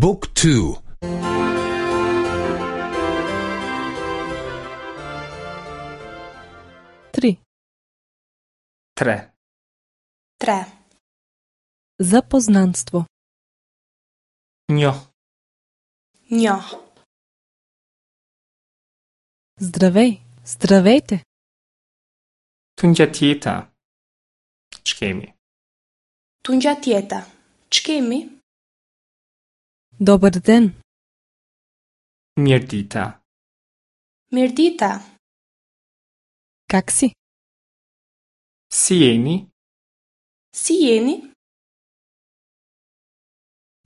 บุ๊กทู Три. Tre. Tre. Запознанство. Njoh. Njoh. Здравей, здравейте! Tungjatjeta. Ç'kemi? Tungjatjeta. Ç'kemi? Добър ден! Mirëdita. Mirëdita. Как си? Si jeni? Si jeni?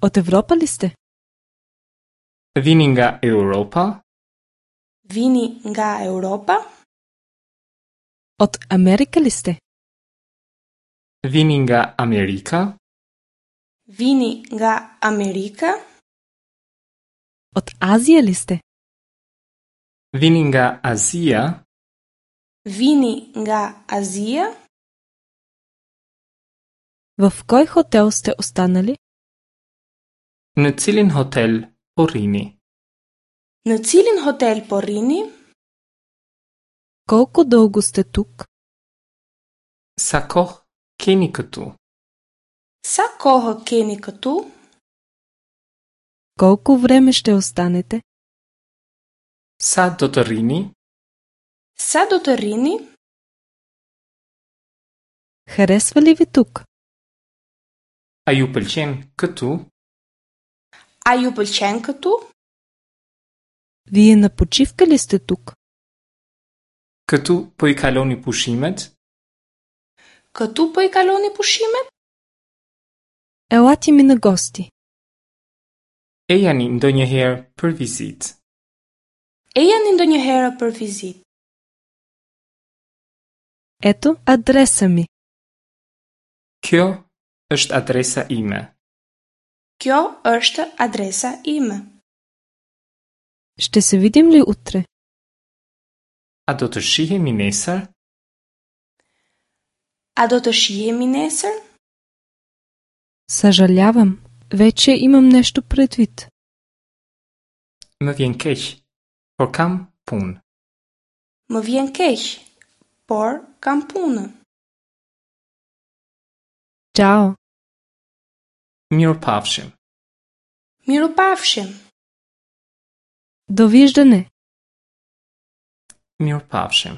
От Европа ли сте? Vini nga Europa? Vini nga Europa? От Америка ли сте? Vini nga Amerika? Vini nga Amerika? От Азия ли сте? Vini nga Azia? Vini nga Azia? В кой хотел сте останали? Në cilin hotel po rrini? Në cilin hotel po rrini? Колко дълго сте тук? Sa kohë keni këtu? Sa kohë keni këtu? Колко време ще останете? Sa do të rrini? Sa do të rrini? Харесва ли ви тук? A ju pëlqen këtu? A ju pëlqen këtu? Вие на почивка ли сте тук? Këtu po i kaloni pushimet? Këtu po i kaloni pushimet? Елате ми на гости. Ejani ndonjëherë për vizitë. Ejani ndonjëherë për vizitë. Ето адреса ми. Kjo është adresa ime. Kjo është adresa ime. Ще се видим ли утре? A do të shihemi nesër? A do të shihemi nesër? Съжалявам, вече имам нещо предвид. Më vjen keq, por kam punë. Më vjen keq, por kam punë. Чао! Mirupafshim. Mirupafshim. Довиждане! Mirupafshim.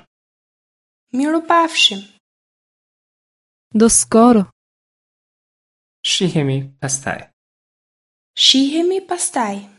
Mirupafshim. До скоро! Shihemi pastaj. Shihemi pastaj.